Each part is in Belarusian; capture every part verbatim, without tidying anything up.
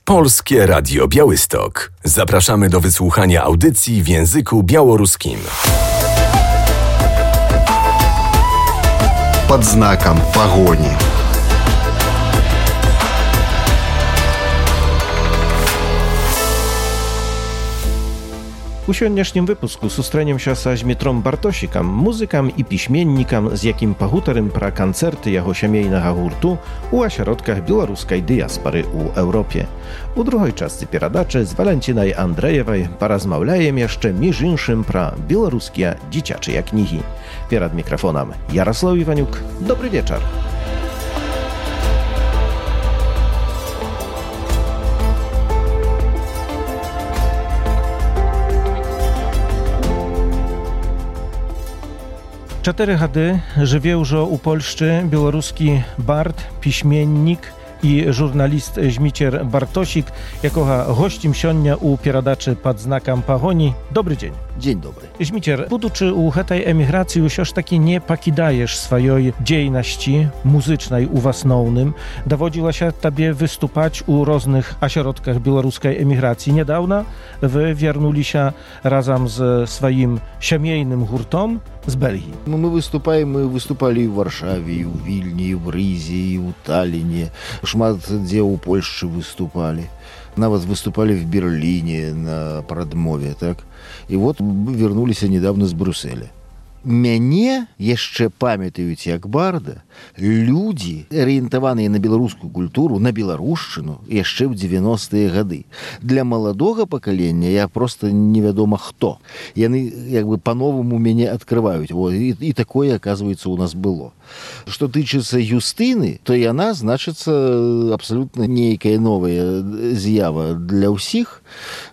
Polskie Radio Białystok. Zapraszamy do wysłuchania audycji w języku białoruskim. Под знаком погони. У сённяшнім выпуску сустрэнемся са Змітром Бартосікам, музыкам і пісьменнікам, з якім пагутарым пра канцэрты яго сямейнага гурту у асяродках беларускай дыяспары ў Еўропе. У другой частцы перадачы з Валянцінай Андрэевай паразмаўляем яшчэ між іншым пра беларускія дзіцячыя кнігі. Перад мікрафонам Ярослаў Іванюк. Добры вечар. Чатыры гады жыве ўжо ў Польшчы беларускі бард, пісьменнік і журналіст Зміцер Бартосік, якога госцім сёння ў перадачы пад знакам пагоні. Добры дзень. Дзень добры. Зміцер, будучы ў гэтай эміграцыі, ўсё ж такі не пакідаеш сваёй дзейнасці музычнай у асноўным. Даводзілася табе выступаць у розных асяродках беларускай эміграцыі. Нядаўна вы вярнуліся разам з сваім сямейным гуртом з Бельгіі. Ну, мы выступаем, мы выступалі і ў Варшаве, і ў Вільні, і ў Рызе, і ў Талліне. Шмат дзе ў Польшчы выступалі. Нават выступалі в Берліне на прадмове, так? І вот мы вярнуліся недавно з Брюсселя. Мяне яшчэ памятаюць як барда людзі, арыентаваныя на беларускую культуру, на беларушчыну яшчэ ў дзевяностыя гады. Для маладога пакалення я проста невядома хто. Яны як бы па-новаму мяне адкрываюць. О, і, і такое, аказваецца, у нас было. Што тычыцца Юстыны, то яна, значыцца, абсалютна нейкая новая з'ява для ўсіх.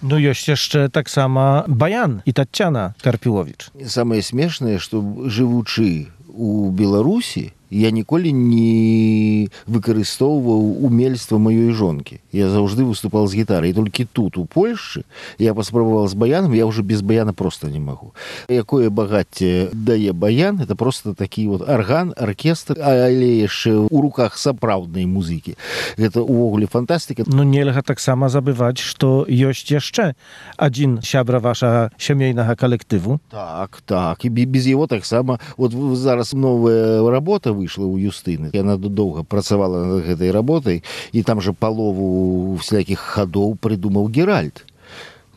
Ну, ёсць яшчэ таксама Баян і Таццяна Карпіловіч. Самае смешнае, што жывучы у Беларусі, я ніколі не выкарыстоўваў умельства маёй жонкі. Я заўжды выступал з гітарай. І толькі тут, у Польшчы, я паспрабаваў з баянам, я ўжо без баяна проста не магу. Якое багацце дае баян, это просто такі вот арган, аркестр, але яшчэ ў руках сапраўднай музыкі. Гэта ўвогуле фантастыка. Ну, нельга таксама забываць, што ёсць яшчэ адзін сябра вашага сямейнага калектыву. Так, так. І без яго таксама. Вот зараз новая работа выйшла ў Юстыны. Яна доўга працавала над гэтай работай, і там жа палову всякіх хадоў прыдумаў Геральт.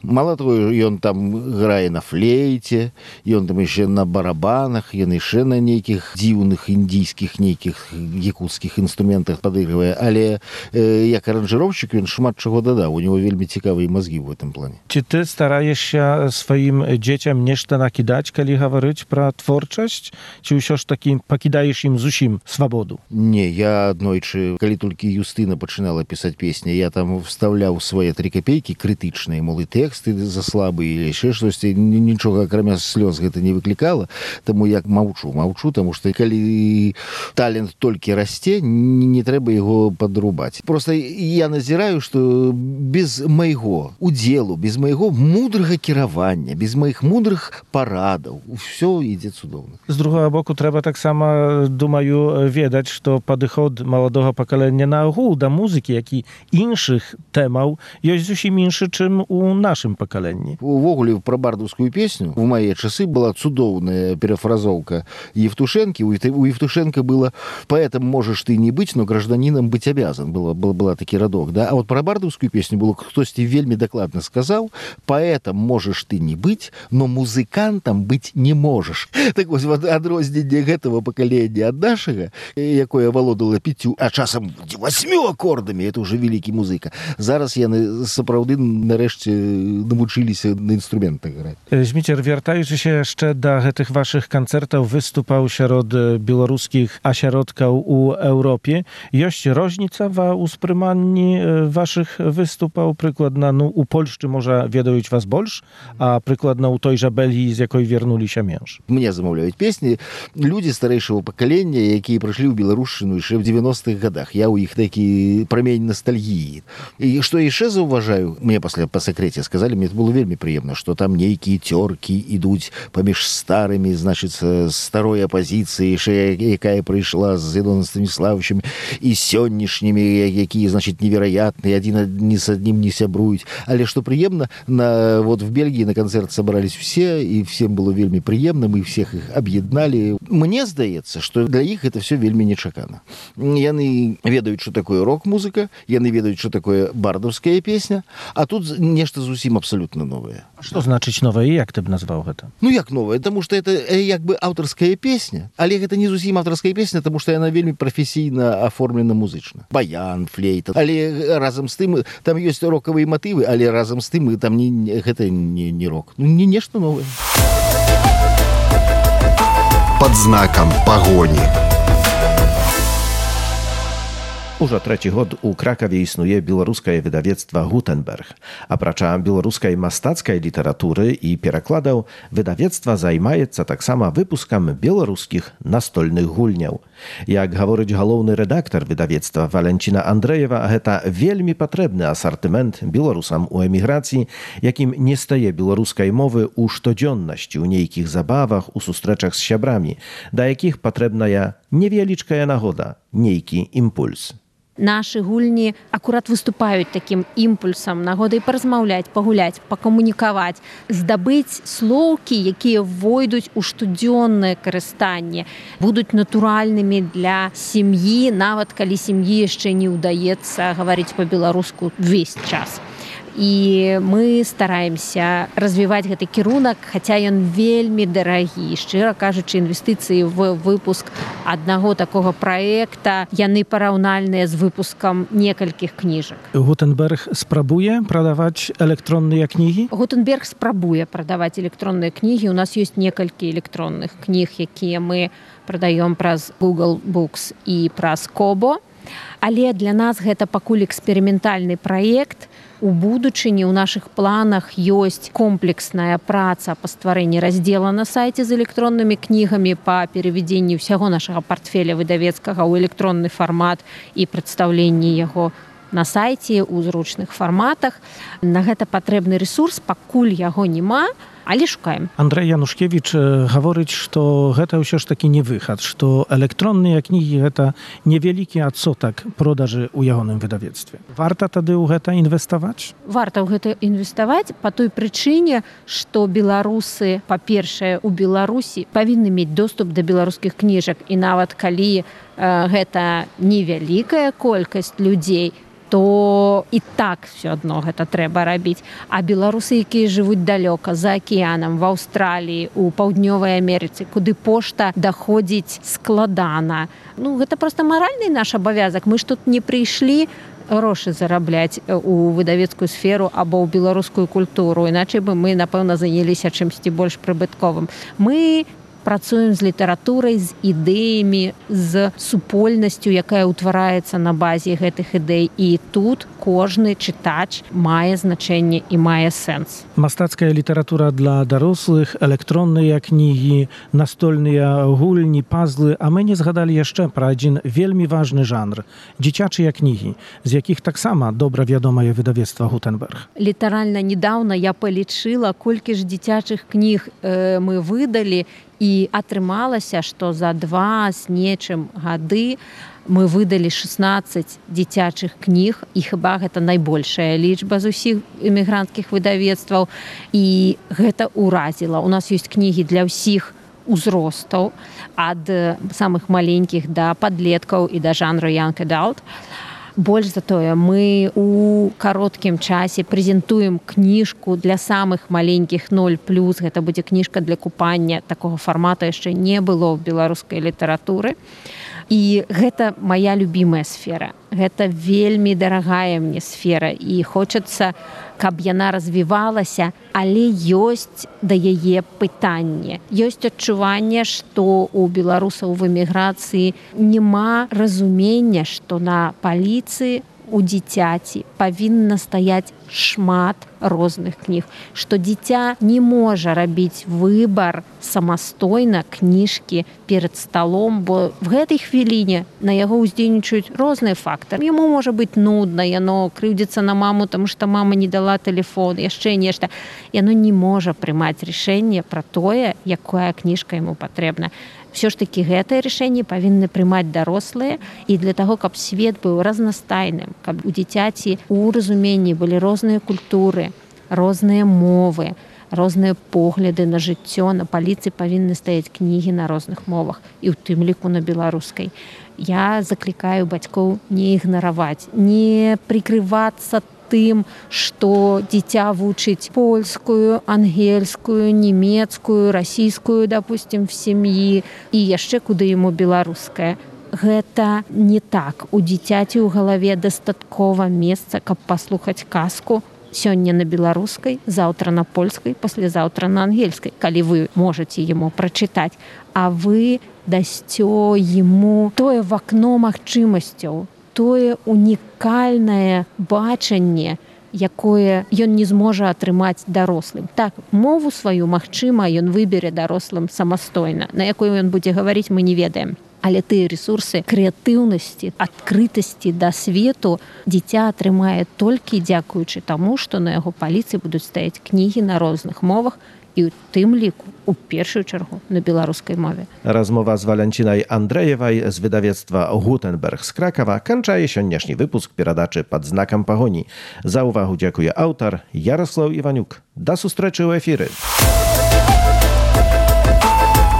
Мало того, ён там грае на флейце, ён там яшчэ на барабанах, ён яшчэ на нейкіх дзіўных індійскіх нейкіх якуцкіх інструментах падыгрывае, але э, як аранжыроўшчык ён шмат чаго дадаў, у него вельмі цікавыя мазгі ў гэтым плане. Ці ты стараешся сваім дзецям нешта накідаць, калі гаварыць пра творчасць, ці ўсё ж такі пакідаеш ім зусім свабоду? Не, я аднойчы, калі толькі Юстына пачынала пісаць песні, я там вставляў свае тры капейкі крытычныя, мол, і тэксты за слабые или еще штосьці, нічога акрамя слёз гэта не выклікала, таму я маўчу, маўчу, таму што калі талент толькі расце, не трэба яго падрубаць. Просто я назіраю, што без майго удзелу, без майго мудрага кіравання, без маіх мудрых парадаў, усё ідзе цудоўна. З другога боку, трэба таксама, думаю, ведаць, што падыход маладога пакалення на агул да музыкі, як і іншых тэмаў, ёсць зусім іншы, чым у нашым пакаленні. Увогуле, пра бардаўскую песню у мае часы была цудоўная перафразоўка Евтушэнкі. У Евтушенко было «Поэтом можешь ты не быть, но гражданином быть обязан». Была, была, была такі радок, да? А вот пра бардаўскую песню было хтосьці вельмі дакладна сказаў «Поэтом можешь ты не быть, но музыкантом быть не можешь». Так вось, вот адрозненне гэтага пакалення ад нашага, якое валодала пяцю, а часам восьмю акордамі, это уже вялікі музыка. Зараз яны сапраўды нарэшце навучыліся на інструментах граць. Зміцер, вяртаючыся яшчэ да гэтых вашых канцэртаў, выступаў сярод беларускіх асяродкаў у Еўропе. Ёсць розніца ва ўспрыманні вашых выступаў? Прыкладна, ну, у Польшчы, можа, ведаюць вас больш, а прыкладна ў той жа Бельгіі, з якой вярнуліся менш. Мне замаўляюць песні людзі старэйшага пакалення, якія прыйшлі ў беларушчыну яшчэ ў дзевяностых гадах. Я ў іх такі прамень ностальгіі. І што яшчэ заўважаю, мне пасля па сакрэце сказаць, сказали, мне это было вельмі прыемна, што там нейкія цёркі ідуць паміж старымі, значыцца, старой апазіцыі, якая прыйшла з Ілоном Станіславовичем, і сённяшнімі, якія, значыць, невероятныя, адзін ні з аднім не сябруюць. Але што прыемна, на, вот в Бельгіі на канцэрт сабрались все, і всем было вельмі прыемна, мы всех іх аб'ядналі. Мне здаецца, што для іх это все вельмі нечакана. Яны ведаюць, што такое рок-музыка, яны ведаюць, што такое бардаўская песня, а тут нешта зусім абсалютна новае. Што значыць новае, як ты б назваў гэта? Ну як новае, таму што это як бы аўтарская песня, але гэта не зусім аўтарская песня, таму што яна вельмі прафесійна аформлена музычна. Баян, флейта, але разам з тым там ёсць рокавыя матывы, але разам з тым там не, гэта не, не рок. Ну не нешта новае. Под знаком пагоні. Ужо трэці год у Кракаве існуе беларускае выдавецтва «Гутенберг». Апрача беларускай мастацкай літаратуры і перакладаў, выдавецтва займаецца таксама выпускам беларускіх настольных гульняў. Як гаворыць галоўны рэдактар выдавецтва Валенціна Андрэева, гэта вельмі патрэбны асартымент беларусам у эміграцыі, якім не стае беларускай мовы ў штодзённасці, у нейкіх забавах, у сустрэчах з сябрамі, да якіх патрэбная невялічкая нагода, нейкі імпульс. Нашы гульні акурат выступаюць такім імпульсам, нагодай паразмаўляць, пагуляць, пакамунікаваць, здабыць слоўкі, якія войдуць у штодзённае карыстанне, будуць натуральнымі для сям'і, нават калі сям'і яшчэ не ўдаецца гаварыць па-беларуску ўвесь час. І мы стараемся развіваць гэты кірунак, хаця ён вельмі дарагі. Шчыра кажучы, інвестыцыі в выпуск аднаго такога праекта, яны параўнальныя з выпускам некалькіх кніжак. Гутенберг спрабуе прадаваць электронныя кнігі? Гутенберг спрабуе прадаваць электронныя кнігі. У нас ёсць некалькі электронных кніг, якія мы прадаём праз Google Books і праз Kobo. Але для нас гэта пакуль эксперыментальны праект. У будучыні ў нашых планах ёсць комплексная праца па стварэнні раздзела на сайце з электроннымі кнігамі, па перавядзенні ўсяго нашага партфеля выдавецкага ў электронны фармат і прадстаўленні яго на сайце ў зручных фарматах. На гэта патрэбны рэсурс, пакуль яго няма, але шукаем. Андрэй Янушкевіч гаворыць, што гэта ўсё ж такі не выхад, што электронныя кнігі гэта невялікі адсотак продажы ў ягоным выдавецтве. Варта тады ў гэта інвеставаць? Варта ў гэта інвеставаць па той прычыне, што беларусы, па-першае, у Беларусі павінны мець доступ да беларускіх кніжак, і нават калі э, гэта невялікая колькасць людзей, то і так все адно гэта трэба рабіць. А беларусы, якія жывуць далёка, за акіянам, в Аўстраліі, у Паўднёвай Амерыцы, куды пошта даходзіць складана. Ну, гэта проста маральны наш абавязак. Мы ж тут не прыйшлі грошы зарабляць у выдавецкую сферу або ў беларускую культуру. Іначай бы мы, напэўна, заняліся чымсьці больш прыбытковым. Мы працуем з літаратурай, з ідэямі, з супольнасцю, якая ўтвараецца на базе гэтых ідэй. І тут кожны чытач мае значэнне і мае сэнс. Мастацкая літаратура для дарослых, электронныя кнігі, настольныя гульні, пазлы, а мы не згадалі яшчэ пра адзін вельмі важны жанр – дзіцячыя кнігі, з якіх таксама добра вядомае выдавецтва «Гутенберг». Літаральна недаўна я палічыла, колькі ж дзіцячых кніг э, мы выдалі, і атрымалася, што за два з нечым гады мы выдалі шаснаццаць дзіцячых кніг, і хіба гэта найбольшая лічба з усіх эмігранцкіх выдавецтваў, і гэта ўразіла. У нас ёсць кнігі для ўсіх узростаў, ад самых маленькіх да падлеткаў і да жанру young adult. Больш за тое, мы у кароткім часе прэзентуем кніжку для самых маленькіх нуль плюс. Гэта будзе кніжка для купання. Такога фармата яшчэ не было ў беларускай літаратуры. І гэта моя любімая сфера. Гэта вельмі дарагая мне сфера. І хочацца, каб яна развівалася, але ёсць да яе пытанне. Ёсць адчуванне, што у беларусаў в эміграцыі няма разумення, што на паліцыі у дзіцяці павінна стаяць шмат розных кніг, што дзіця не можа рабіць выбар самастойна кніжкі перад сталом, бо в гэтай хвіліне на яго ўздзейнічаюць розныя фактары. Яму можа быць нудна, яно крыўдзіцца на маму, таму што мама не дала тэлефон, яшчэ нешта. Яно не можа прымаць рашэнне пра тое, якая кніжка яму патрэбна. Все ж таки гэтае рашэнне павінны прымаць дарослыя, і для таго, каб свет быў разнастайным, каб у дзіцяці у разуменні былі розныя культуры, розныя мовы, розныя погляды на жыццё, на паліцы павінны стаяць кнігі на розных мовах, і ў тым ліку на беларускай. Я заклікаю бацькоў не ігнараваць, не прикрывацца тым, што дзіця вучыць польскую, ангельскую, нямецкую, расійскую, допустим, в сям'і, і яшчэ куды яму беларуская. Гэта не так. У дзіцяці ў галаве дастаткова месца, каб паслухаць казку сёння на беларускай, заўтра на польскай, паслязаўтра на ангельскай, калі вы можаце яму прачытаць, а вы дасцё яму тое в акно магчымасцяў, тое унікальнае бачанне, якое ён не зможа атрымаць дарослым. Так, мову сваю, магчыма, ён выбере дарослым самастойна. На якой ён будзе гаварыць, мы не ведаем. Але тыя рэсурсы крэатыўнасці, адкрытасці да свету дзіця атрымае толькі дзякуючы таму, што на яго паліцы будуць стаяць кнігі на розных мовах, і ў тым ліку, у першую чаргу, на беларускай мове. Rozmowa z Walencinaj Andrejewaj z wydawnictwa Gutenberg z Krakowa kończy siądnieszny wypusk Piradaczy pod znakiem pagoni. Za uwagę dziękuję autor Jarosław Iwaniuk. Do sustreczy u efiry.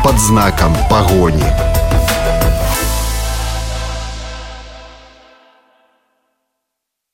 Под знаком погони.